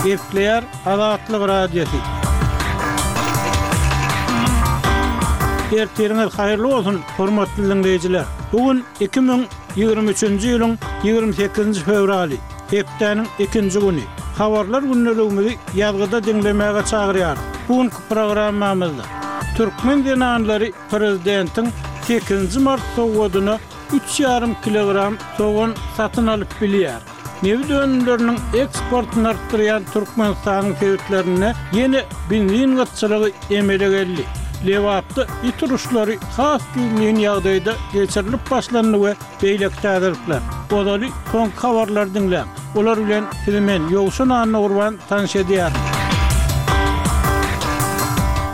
Gepleýär Azatlyk Radiosy. Ertiriňiz haýyrly bolsun, hormatly diňleýjiler! Bu gün 2023-nji ýylyň 28-nji fewraly, hepdäniň ikinji güni. Habarlar gündeligimizi ýazgyda diňlemäge çagyrýarys. Bu günki programmamyzda türkmen zenanlary prezidentiň sekizinji mart sowgadyna üç ýarym kilogram sogan satyn alyp bilýär. Nebit önümleriniň eksportyny artdyrýan Türkmenistanyň sebitlerinde ýene benzin gytçylygy emele geldi. Lebapda it uruşlary has gizlin ýagdaýda geçirilip başlandy we beýleki täzelikler. Ozaly soňky habarlary diňläň. Olar bilen sizi men, Ýowşan Annagurban tanyş edýärin.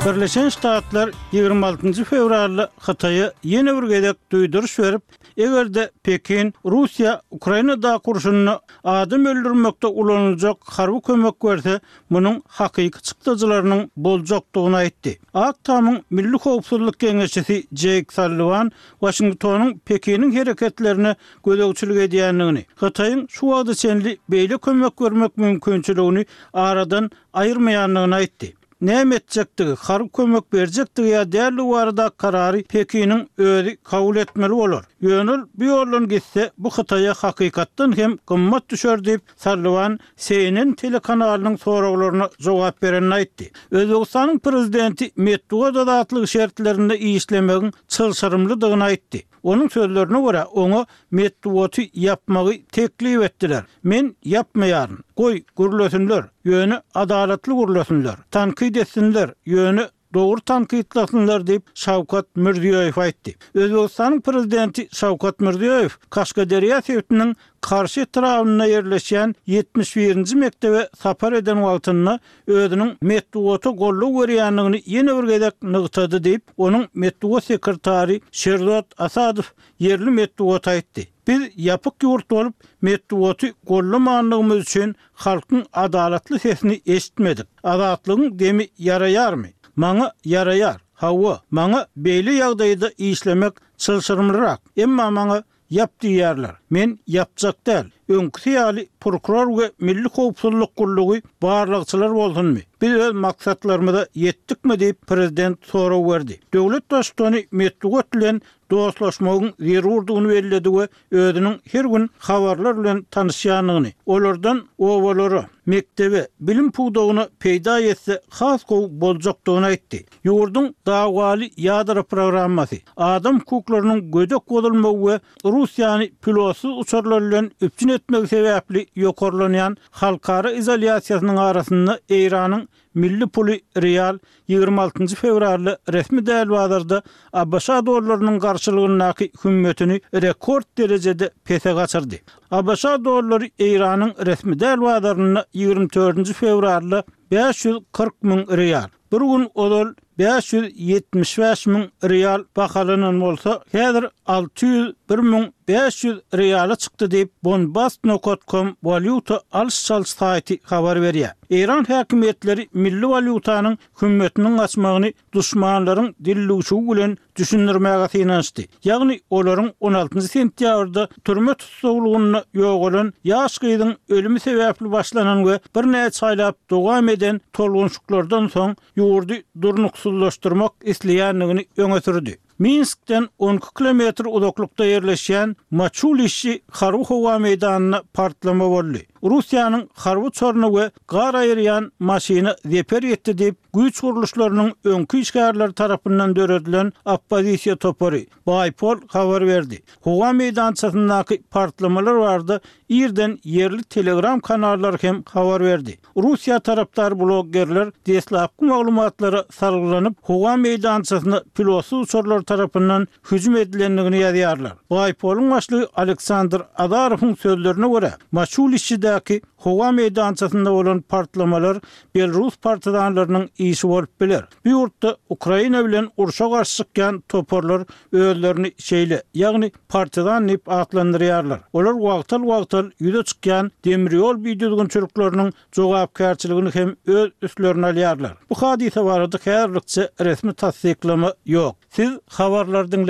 Birleşen Ştatlar 26-njy fewralda Hytaýa ýene bir gezek duýduryş berip, eger-de Pekin Russiýa Ukrainadaky urşunda adam öldürmekde ulanyljak harby kömek berse, munuň hakyky çykdajylarynyň boljakdygyny aýtdy. Ak Tamyň Milli howpsuzlyk geňeşçisi Jeýk Salliwan Waşingtonyň Pekiniň hereketlerine gözegçilik edýändigini, Hytaýyň şu wagta çenli beýle kömek bermek mümkinçiligini aradan aýyrmaýandygyny aýtdy. Näme etjekdigi, harby kömek berjekdigi ýa däldigi baradaky karary Pekiniň özi kabul etmeli bolar. Ýöne ol bu ýoldan gitse, bu Hytaýa hakykatdan hem gymmat düşer diýip, Salliwan CNN telekanalynyň soraglaryna jogap berende aýtdy. Özbegistanyň prezidenti metbugat azatlygy şertlerinde işlemegiň çylşyrymlydygyny aýtdy. Onuň sözlerine görä, oňa metbugaty ýapmagy teklip etdiler. Men ýapmaýaryn. Goý, gürlesinler, ýöne adalatly gürlesinler. Tankyt etsinler, ýöne dogry tankytlasynlar diýip, Şawkat Mirziýoýew aýtdy. Özbegistanyň Prezidenti Şawkat Mirziýoýew Kaşgaderýa sebitiniň Karşy etrabynda ýerleşýän 71-nji mekdebe sapar eden wagtynda özüniň metbugata goldaw berýändigini ýene bir gezek nygtady diýip, onuň metbugat sekretary Şerzod Asadow ýerli metbugata aýtdy. Biz ýapyk ýurt bolup, metbugaty gollamandygymyz üçin halkyň adalatly sesini eşitmedik. Azatlygyň demi ýaraýarmy? Maňa ýaraýar. Hawa, maňa beýle ýagdaýda işlemek çylşyrymlyrak. Emma maňa Ýap diýýärler. Men ýapjak däl. Öňküsi ýaly prokuror we Milli howpsuzlyk gullugy barlagçylar bolsunmy? Biz öz maksatlarymyza ýetdikmi diýip, prezident sorag berdi. Döwlet Baştutany metbugat bilen dostlaşmagyň zerurdygyny belledi we özüniň her gün habarlar bilen tanyşýandygyny, olardan obalara, mekdebe, bilim pudagyna peýda ýetse has gowy boljakdygyny aýtdy. Ýurduň dawaly ýadro programmasy, adam hukuklarynyň gödek bozulmagy we Russiýany pilotsyz uçarlar bilen üpjün etmegi sebäpli ýokarlanýan halkara izolýasiýasynyň arasynda Eýranyň milli puly rial 26 njy fewralda resmi däl bazarda ABŞ dollarynyň garşylygyndaky hümmetini rekord derejede pese gaçyrdy. ABŞ dollary Eýranyň resmi däl bazarynda 24 nji fewralda 540 müň rial, Bir gün ozal 575 müň rial bahalanan bolsa, häzir 601 müň 500 riala çykdy diýip, Bonbast nokat kom walýuta alyş-çalyş saýty habar berýär. Eýran häkimiýetleri milli walýutanyň hümmetiniň gaçmagyny duşmanlaryň dildüwşügi bilen düşündirmäge synanyşdy. Ýagny olaryň on altynjy sentýabrda türme tussaglygynda ýogalan ýaş gyzyň ölümi sebäpli başlanan we birnäçe aýlap dowam eden tolgunşyklardan soň ýurdy durnuksyzlaşdyrmak isleýändigini öňe sürdi. Minskden on iki kilometr uzaklykda ýerleşýän Maçulişşi harby howa meýdanynda partlama boldy. Russiýanyň harby uçaryna we gar aýyrýan maşyna zeper ýetdi diýip, Güýç gurluşlarynyň öňki işgärleri tarapyndan döredilen oppozisiýa topary, Baýpol habar berdi. Howa meýdançasyndaky partlamalar barada irden ýerli Telegram kanallary hem habar berdi. Russiýa tarapdar bloggerler deslapky maglumatlara salgylanyp, howa meýdançasyna pilotsyz uçarlar tarapyndan hüjüm edilendigini ýazýarlar. Baýpolyň başlygy Aleksandr Azarowyň sözlerine görä, Maçulişçidäki Howa meýdançasynda bolan partlamalar belrus partizanlarynyň işi bolup biler. Bu ýurtda Ukraina bilen urşa garşy çykýan toparlar özlerini şeýle, ýagny partizan diýip atlandyrýarlar. Olar wagtal-wagtal ýüze çykýan demir ýol bidüzgünçilikleriniň jogapkärçiligini hem öz üstlerine alýarlar. Bu hadysa barada häzirlikçe resmi tassyklama ýok. Siz habarlary diňläp.